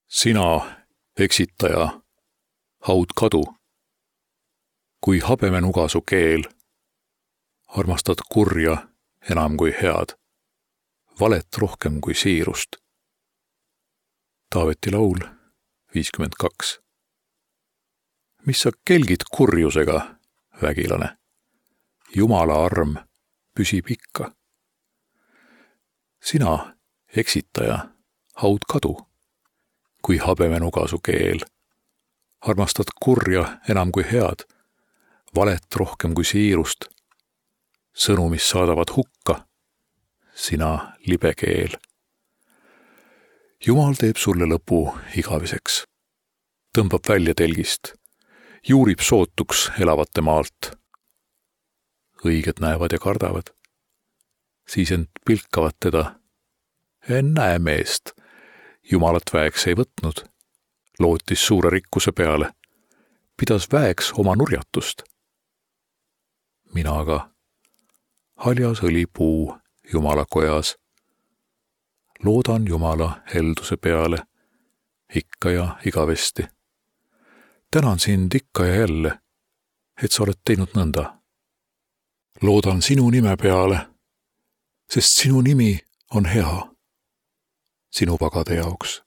Sina, eksitaja, haud kadu. Kui habemenuga su keel, armastad kurja enam kui head, valet rohkem kui siirust. Taaveti laul 52. Mis sa kelgid kurjusega, vägilane? Jumala arm püsib ikka. Sina, eksitaja, haud kadu. Kui habemenuga su keel, armastad kurja enam kui head, valet rohkem kui siirust. Sõnu, mis saadavad hukka, sina libe keel. Jumal teeb sulle lõpu igaveseks. Tõmbab välja telgist, juurib sootuks elavate maalt. Õiged näevad ja kardavad, siis end pilkavad teda. Näe meest, Jumalat väeks ei võtnud, lootis suure rikkuse peale, pidas väeks oma nurjatust. Mina aga, haljas õlipuu Jumala kojas, loodan Jumala helduse peale ikka ja igavesti. Tänan sind ikka ja jälle, et sa oled teinud nõnda. Loodan sinu nime peale, sest sinu nimi on hea sinu pagade jaoks.